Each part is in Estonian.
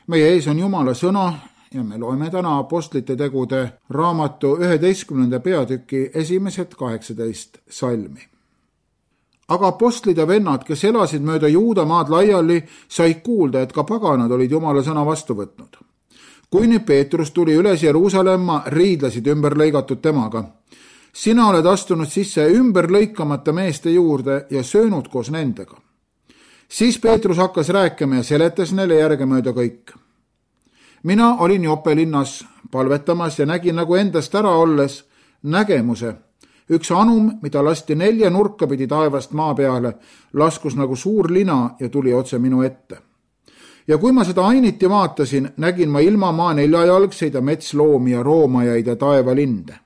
meie ees on Jumala sõna ja me loeme täna Apostlite tegude raamatu 11. peatüki esimesed 18 salmi. Aga apostlid ja vennad, kes elasid mööda Juudamaad laiali, said kuulda, et ka paganad olid Jumala sõna vastu võtnud. Kui nüüd Peetrus tuli üles Jeruusalemma, riidlesid ümber lõigatud temaga. Sina oled astunud sisse ümber lõikamata meeste juurde ja söönud koos nendega. Siis Peetrus hakkas rääkima ja seletas neile järgemööda kõik. Mina olin Joppe linnas palvetamas ja nägin nagu endast ära olles nägemuse. Üks anum, mida lasti 4 nurka pidi taevast maa peale, laskus nagu suur lina ja tuli otse minu ette. Ja kui ma seda ainiti vaatasin, nägin ma ilmamaa 4-jalgseid ja metsloomi ja roomajaid ja taevalinde.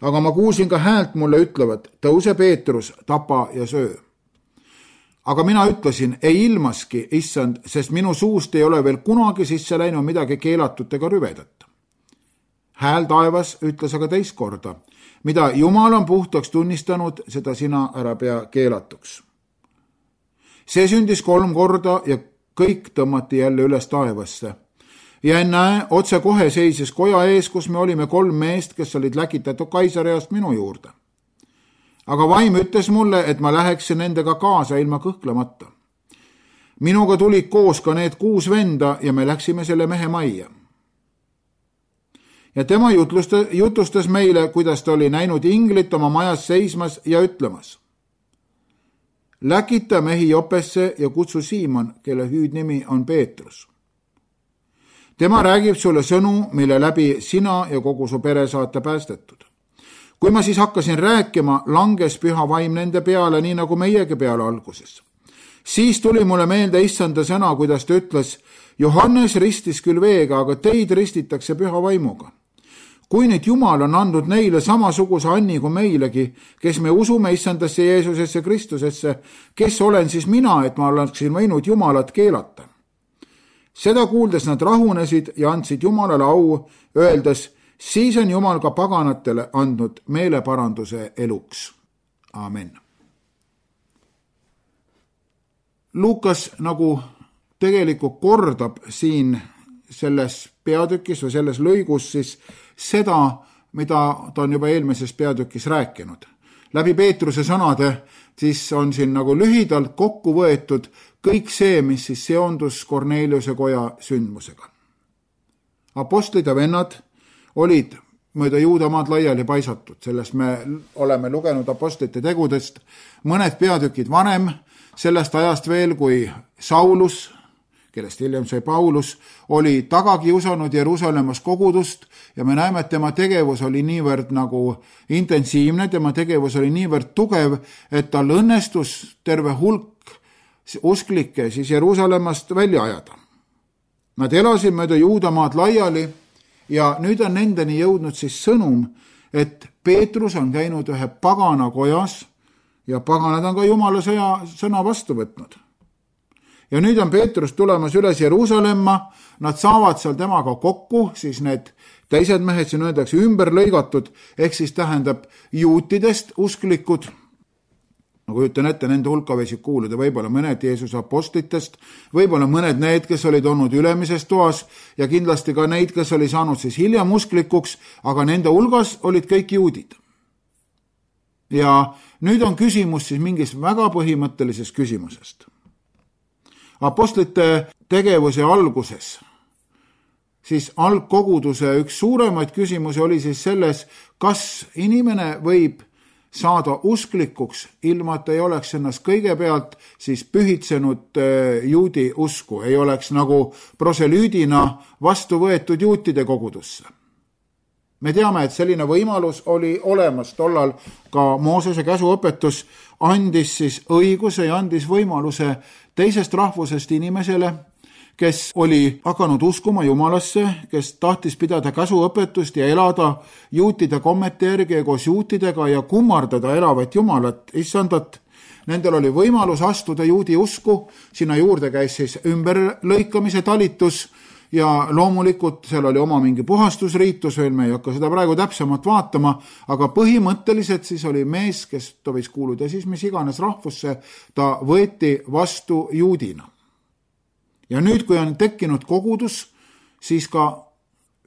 Aga ma kuulsin ka häält mulle ütlevat, tõuse Peetrus, tapa ja söö. Aga mina ütlesin, ei ilmaski, issand, sest minu suust ei ole veel kunagi sisse läinud midagi keelatut ega rüvedat. Hääl taevas ütles aga teist korda, mida Jumal on puhtaks tunnistanud, seda sina ära pea keelatuks. See sündis 3 korda ja kõik tõmmati jälle üles taevasse. Ja ennäe, otse kohe seisis koja ees, kus me olime 3 meest, kes olid läkitatud Kaisariast minu juurde. Aga vaim ütles mulle, et ma läheksin nendega kaasa ilma kõhklemata. Minuga tulid koos ka need 6 venda ja me läksime selle mehe majja. Ja tema jutustas meile, kuidas ta oli näinud inglit oma majas seismas ja ütlemas. Läkita mehi Jopesse ja kutsu Siimon, kelle hüüdnimi on Peetrus. Tema räägib sulle sõnu, mille läbi sina ja kogu su pere saate päästetud. Kui ma siis hakkasin rääkima, langes püha vaim nende peale, nii nagu meiegi peale alguses. Siis tuli mulle meelde issanda sõna, kuidas ta ütles, Johannes ristis küll veega, aga teid ristitakse püha vaimuga. Kui nüüd Jumal on andnud neile samasuguse anni kui meilegi, kes me usume issandasse Jeesusesse Kristusesse, kes olen siis mina, et ma oleksin võinud Jumalat keelata. Seda kuuldes nad rahunesid ja andsid Jumalale au, öeldes, siis on Jumal ka paganatele andnud meeleparanduse eluks. Amen. Luukas nagu tegelikult kordab siin selles peatükis või selles lõigus siis seda, mida ta on juba eelmises peatükis rääkinud. Läbi Peetruse sõnade siis on siin nagu lühidalt kokku võetud kõik see, mis siis seondus Korneliuse koja sündmusega. Apostlid ja vennad olid mööda Juudamaad laiali paisatud, sellest me oleme lugenud Apostlite tegudest mõned peatükid vanem, sellest ajast veel, kui Saulus, kellest hiljem sai Paulus, oli tagakiusanud Jeruusalemmas kogudust ja me näeme, et tema tegevus oli niivõrd nagu intensiivne, tema tegevus oli niivõrd tugev, et tal õnnestus terve hulk usklikke siis Jeruusalemmast välja ajada. Nad elasid mööda Juudamaad laiali ja nüüd on nendeni jõudnud siis sõnum, et Peetrus on käinud ühe pagana kojas ja paganad on ka Jumala sõna vastu võtnud. Ja nüüd on Peetrus tulemas üles Jeruusalemma, nad saavad seal temaga kokku, siis need teised mehed siin öeldakse ümber lõigatud, ehk siis tähendab juutidest usklikud, nagu ütlen ette, nende hulka võisid kuuluda võib-olla mõned Jeesuse apostlitest, võib-olla mõned need, kes olid olnud ülemises toas ja kindlasti ka neid, kes oli saanud siis hiljem usklikuks, aga nende hulgas olid kõik juudid. Ja nüüd on küsimus siis mingist väga põhimõttelisest küsimusest. Apostlite tegevuse alguses, siis algkoguduse üks suuremaid küsimusi oli siis selles, kas inimene võib saada usklikuks, ilma et ei oleks ennast kõigepealt siis pühitsenud juudi usku, ei oleks nagu proselüüdina vastu võetud juutide kogudusse. Me teame, et selline võimalus oli olemas tollal, ka Moosese käsuõpetus andis siis õiguse ja andis võimaluse teisest rahvusest inimesele, kes oli hakanud uskuma Jumalasse, kes tahtis pidada käsuõpetust ja elada juutide kommete järgi ja koos juutidega ja kummardada elavat Jumalat, issandat. Nendel oli võimalus astuda juudi usku, sinna juurde käis siis ümberlõikamise talitus ja loomulikult seal oli oma mingi puhastusriitus, veel me ei hakka seda praegu täpsemalt vaatama, aga põhimõtteliselt siis oli mees, kes ta võis kuuluda siis mis iganes rahvusse, ta võeti vastu juudina. Ja nüüd, kui on tekkinud kogudus, siis ka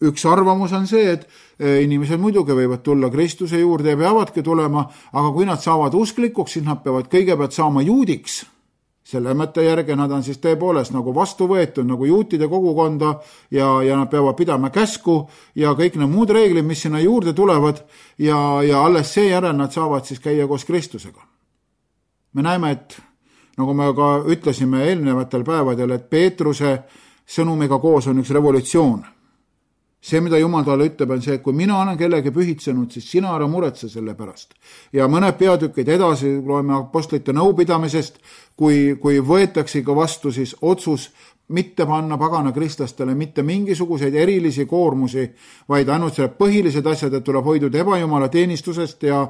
üks arvamus on see, et inimesed muidugi võivad tulla Kristuse juurde ja peavadki tulema, aga kui nad saavad usklikuks, siis nad peavad kõigepealt saama juudiks. Selle mõtte järgi nad on siis tõepoolest nagu vastu võetud nagu juutide kogukonda ja nad peavad pidama käsku ja kõik need muud reeglid, mis sinna juurde tulevad ja alles seejärel nad saavad siis käia koos Kristusega. Me näeme, et nagu me ka ütlesime eelnevatel päevadel, et Peetruse sõnumiga koos on üks revolutsioon. See, mida Jumal talle ütleb, on see, et kui mina olen kellegi pühitsenud, siis sina ära muretse selle pärast. Ja mõned peatükid edasi loeme apostlite nõupidamisest, kui võetakse ka vastu siis otsus mitte panna pagana kristlastele mitte mingisuguseid erilisi koormusi, vaid ainult selle põhilised asjad, et tuleb hoiduda ebajumala teenistusest ja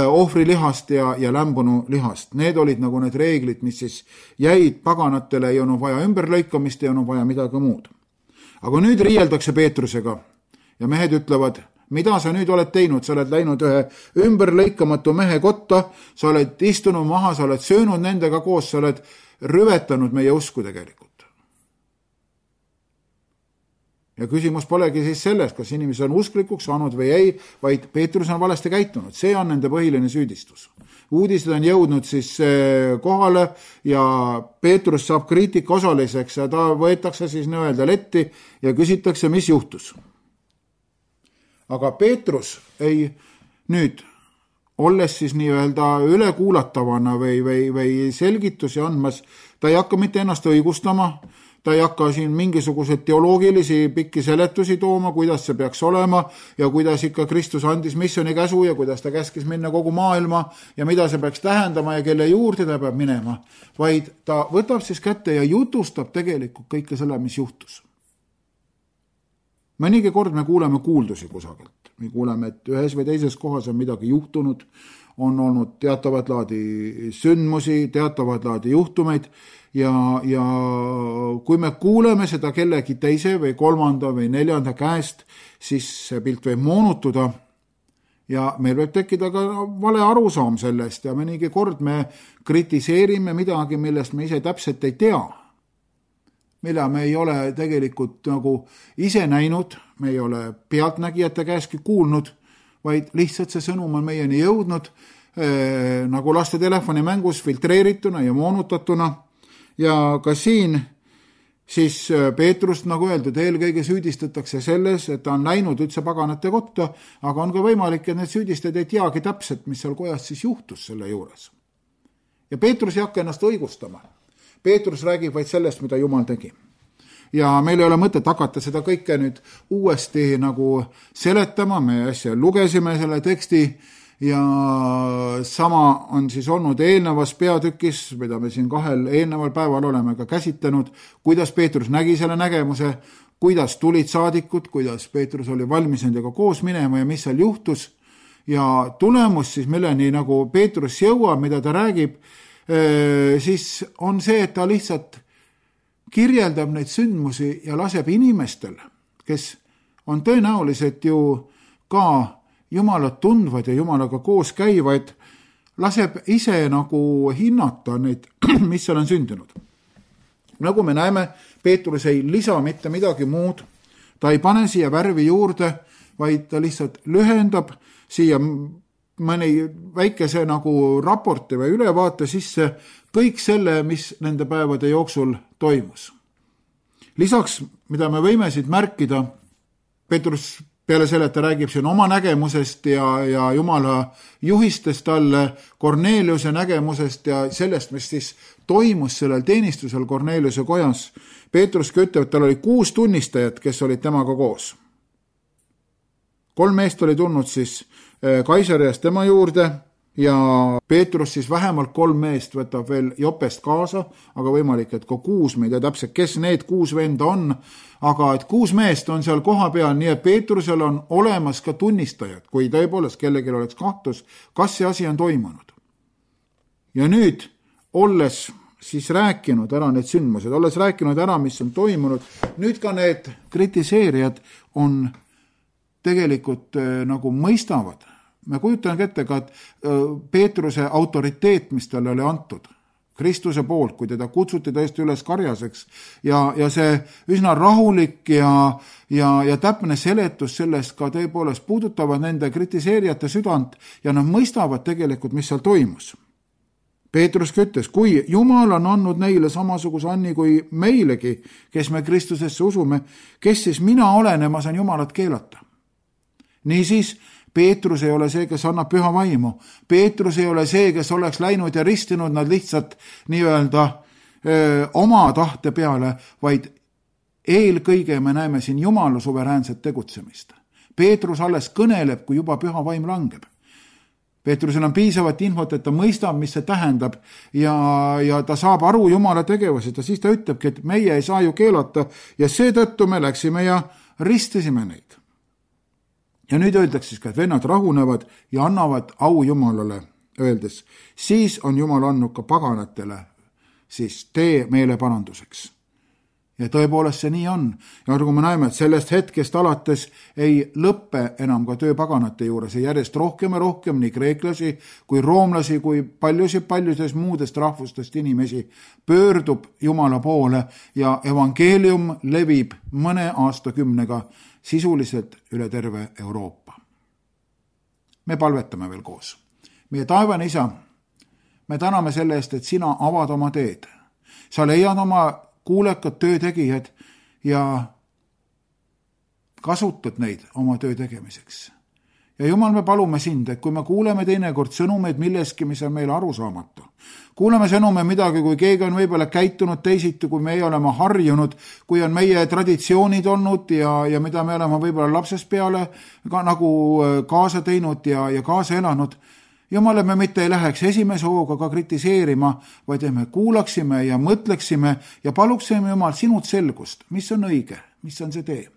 ohvrilihast ja lämbunu lihast. Need olid nagu need reeglid, mis siis jäid paganatele, ei olnud vaja ümberlõikamist, ei olnud vaja midagi muud. Aga nüüd riieldakse Peetrusega ja mehed ütlevad, mida sa nüüd oled teinud, sa oled läinud ühe ümberlõikamatu mehe kotta, sa oled istunud maha, sa oled söönud nendega koos, sa oled rüvetanud meie usku tegelikult. Ja küsimus polegi siis selles, kas inimesed on usklikuks saanud või ei, vaid Peetrus on valesti käitunud. See on nende põhiline süüdistus. Uudised on jõudnud siis kohale ja Peetrus saab kriitika osaliseks ja ta võetakse siis nii-öelda letti ja küsitakse, mis juhtus. Aga Peetrus ei nüüd, olles siis nii-öelda ülekuulatavana või selgitusi andmas, ta ei hakka mitte ennast õigustama, ta ei hakka siin mingisuguseid teoloogilisi pikki seletusi tooma, kuidas see peaks olema ja kuidas ikka Kristus andis missiooni käsu ja kuidas ta käskis minna kogu maailma ja mida see peaks tähendama ja kelle juurde ta peab minema, vaid ta võtab siis kätte ja jutustab tegelikult kõike selle, mis juhtus. Mõnigi kord me kuuleme kuuldusi kusagilt. Me kuuleme, et ühes või teises kohas on midagi juhtunud, on olnud teatavat laadi sündmusi, teatavat laadi juhtumeid ja kui me kuuleme seda kellegi teise või kolmanda või neljanda käest, siis see pilt võib moonutuda ja meil võib tekkida ka vale arusaam sellest ja mõnigi kord me kritiseerime midagi, millest me ise täpselt ei tea, mille me ei ole tegelikult nagu ise näinud, me ei ole pealtnägijate käestki kuulnud, vaid lihtsalt see sõnum on meieni jõudnud nagu laste telefoni mängus filtreerituna ja moonutatuna. Ja ka siin siis Peetrust, nagu öeldud, eelkõige süüdistatakse selles, et ta on läinud üldse paganate kotta, aga on ka võimalik, et need süüdistajad ei teagi täpselt, mis seal kojas siis juhtus selle juures. Ja Peetrus ei hakka ennast õigustama. Peetrus räägib vaid sellest, mida Jumal tegi. Ja meil ei ole mõtet hakata seda kõike nüüd uuesti nagu seletama, me äsja lugesime selle teksti ja sama on siis olnud eelnevas peatükis, mida me siin 2 eelneval päeval oleme ka käsitlenud, kuidas Peetrus nägi selle nägemuse, kuidas tulid saadikud, kuidas Peetrus oli valmis nendega koos minema ja mis seal juhtus ja tulemus siis, milleni nagu Peetrus jõuab, mida ta räägib, siis on see, et ta lihtsalt kirjeldab neid sündmusi ja laseb inimestel, kes on tõenäoliselt ju ka Jumalat tundvad ja Jumalaga koos käivad, laseb ise nagu hinnata neid, mis seal on sündinud. Nagu me näeme, Peetrus ei lisa mitte midagi muud, ta ei pane siia värvi juurde, vaid ta lihtsalt lühendab siia mõni väikese nagu raporti või ülevaate sisse kõik selle, mis nende päevade jooksul toimus. Lisaks, mida me võime siit märkida, Peetrus peale selle, et ta räägib siin oma nägemusest ja Jumala juhistest talle, Korneliuse nägemusest ja sellest, mis siis toimus sellel teenistusel Korneliuse kojas. Peetrus ütleb, et tal oli 6 tunnistajat, kes olid temaga koos. 3 meest oli tulnud siis Kaisariast tema juurde ja Peetrus siis vähemalt 3 meest võtab veel Jopest kaasa, aga võimalik, et ka 6, me ei tea täpselt, kes need 6 venda on, aga et 6 meest on seal koha peal, nii et Peetrusel on olemas ka tunnistajad, kui tõepoolest kellelgi oleks kahtlus, kas see asi on toimunud. Ja nüüd, olles siis rääkinud ära need sündmused, olles rääkinud ära, mis on toimunud, nüüd ka need kritiseerijad on tegelikult nagu mõistavad. Me kujutan ette ka, et Peetruse autoriteet, mis talle oli antud, Kristuse poolt, kui teda kutsuti tõesti üles karjaseks ja see üsna rahulik ja täpne seletus sellest ka tõepoolest puudutavad nende kritiseerijate südant ja nad mõistavad tegelikult, mis seal toimus. Peetrus ütles, kui Jumal on andnud neile samasuguse anni kui meilegi, kes me Kristusesse usume, kes siis mina olen ja ma saan Jumalat keelata. Niisiis, Peetrus ei ole see, kes annab püha vaimu. Peetrus ei ole see, kes oleks läinud ja ristinud nad lihtsalt nii-öelda oma tahte peale, vaid eelkõige me näeme siin Jumala suveräänset tegutsemist. Peetrus alles kõneleb, kui juba püha vaim langeb. Peetrusel on piisavat infot, et ta mõistab, mis see tähendab ja ta saab aru Jumala tegevusest ja siis ta ütlebki, et meie ei saa ju keelata ja seetõttu me läksime ja ristisime neid. Ja nüüd öeldakse siis ka, et vennad rahunevad ja annavad au Jumalale, öeldes, siis on Jumal andnud ka paganatele siis tee meeleparanduseks. Ja tõepoolest see nii on. Ja kui me näeme, et sellest hetkest alates ei lõppe enam ka töö paganate juures ja järjest rohkem ja rohkem nii kreeklasi kui roomlasi kui paljudest muudest rahvustest inimesi pöördub Jumala poole ja evangeelium levib mõne aastakümnega sisuliselt üle terve Euroopa. Me palvetame veel koos. Meie taevane Isa, me täname selle eest, et sina avad oma teed. Sa leiad oma kuulekad töötegijad ja kasutad neid oma töö tegemiseks. Ja Jumal, me palume sind, et kui me kuuleme teinekord sõnumeid milleski, mis on meile arusaamatu, kuuleme sõnume midagi, kui keegi on võib-olla käitunud teisiti, kui meie oleme harjunud, kui on meie traditsioonid olnud ja mida me oleme võib-olla lapsest peale ka nagu kaasa teinud ja kaasa elanud, Jumale, me mitte ei läheks esimese hooga ka kritiseerima, vaid me kuulaksime ja mõtleksime ja paluksime Jumal sinult selgust, mis on õige, mis on see tee.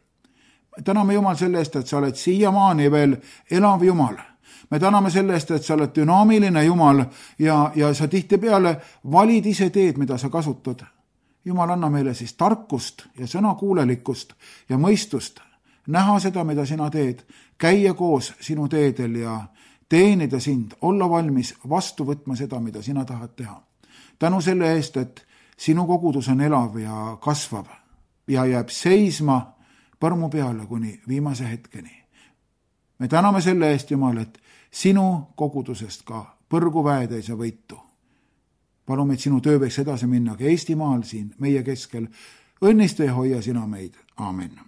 Täname Jumal selle eest, et sa oled siiamaani veel elav Jumal. Me täname selle eest, et sa oled dünaamiline Jumal ja sa tihtipeale valid ise teed, mida sa kasutad. Jumal, anna meile siis tarkust ja sõnakuulelikkust ja mõistust, näha seda, mida sina teed, käia koos sinu teedel ja teenida sind, olla valmis vastu võtma seda, mida sina tahad teha. Tänu selle eest, et sinu kogudus on elav ja kasvav ja jääb seisma põrmu peale kuni viimase hetkeni. Me täname selle eest, Jumal, et sinu kogudusest ka põrguväed ei saa võitu. Palume, et sinu töö võiks edasi minna ka Eestimaal siin meie keskel. Õnnista ja hoia sina meid. Aamen.